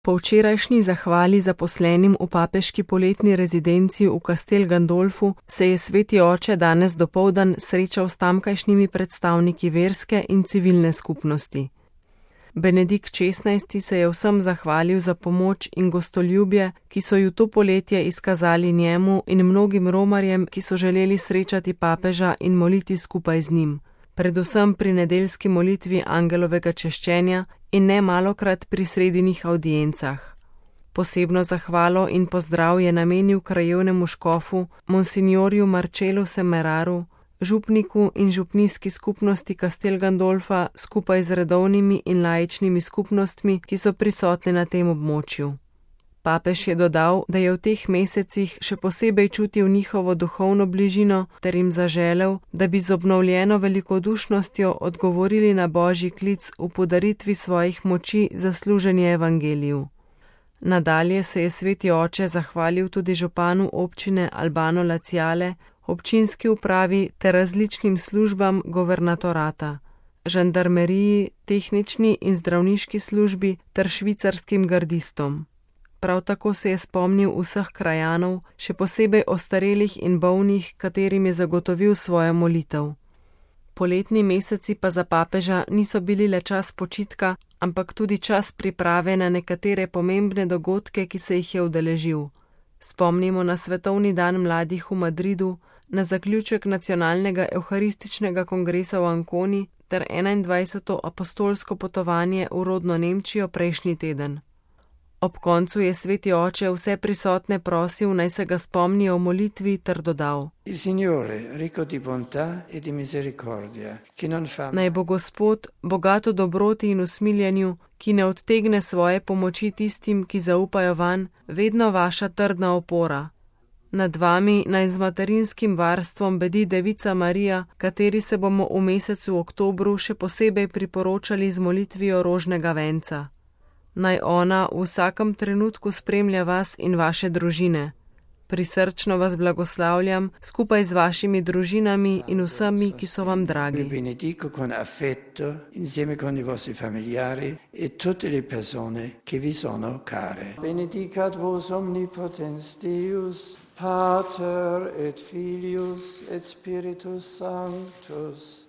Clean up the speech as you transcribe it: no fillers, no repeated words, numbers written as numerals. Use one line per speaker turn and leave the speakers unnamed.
Po včerajšnji zahvali zaposlenim v papeški poletni rezidenci v Castel Gandolfu se je sveti oče danes dopoldan srečal s tamkajšnjimi predstavniki verske in civilne skupnosti. Benedikt XVI. Se je vsem zahvalil za pomoč in gostoljubje, ki so ju to poletje izkazali njemu in mnogim romarjem, ki so želeli srečati papeža in moliti skupaj z njim, predvsem pri nedeljski molitvi angelovega češčenja in ne malokrat pri sredinih avdiencah. Posebno zahvalo in pozdrav je namenil krajevnemu škofu, monsignorju Marcelu Semeraru, župniku in župnijski skupnosti Castel Gandolfa skupaj z redovnimi in laičnimi skupnostmi, ki so prisotne na tem območju. Papež je dodal, da je v teh mesecih še posebej čutil njihovo duhovno bližino ter jim zaželel, da bi z obnovljeno velikodušnostjo odgovorili na božji klic v podaritvi svojih moči za služenje evangeliju. Nadalje se je sveti oče zahvalil tudi županu občine Albano Laziale, občinski upravi ter različnim službam governatorata, žandarmeriji, tehnični in zdravniški službi ter švicarskim gardistom. Prav tako se je spomnil vseh krajanov, še posebej ostarelih in bolnih, katerim je zagotovil svojo molitev. Poletni meseci pa za papeža niso bili le čas počitka, ampak tudi čas priprave na nekatere pomembne dogodke, ki se jih je udeležil. Spomnimo na Svetovni dan mladih v Madridu, na zaključek nacionalnega evharističnega kongresa v Anconi ter 21. apostolsko potovanje v rodno Nemčijo prejšnji teden. Ob koncu je sveti oče vse prisotne prosil, naj se ga spomnijo o molitvi ter dodal: Naj bo Gospod, bogat v dobroti in usmiljenju, ki ne odtegne svoje pomoči tistim, ki zaupajo vanj, vedno vaša trdna opora. Nad vami naj z materinskim varstvom bedi Devica Marija, kateri se bomo v mesecu oktobru še posebej priporočali z molitvijo rožnega venca. Naj ona v vsakem trenutku spremlja vas in vaše družine. Prisrčno vas blagoslavljam skupaj z vašimi družinami in vsemi, ki so vam dragi.
Benedico con affetto insieme con i vostri familiari e tutte le persone che vi sono care. Benedicat vos omnipotens Deus, Pater et Filius et Spiritus Sanctus.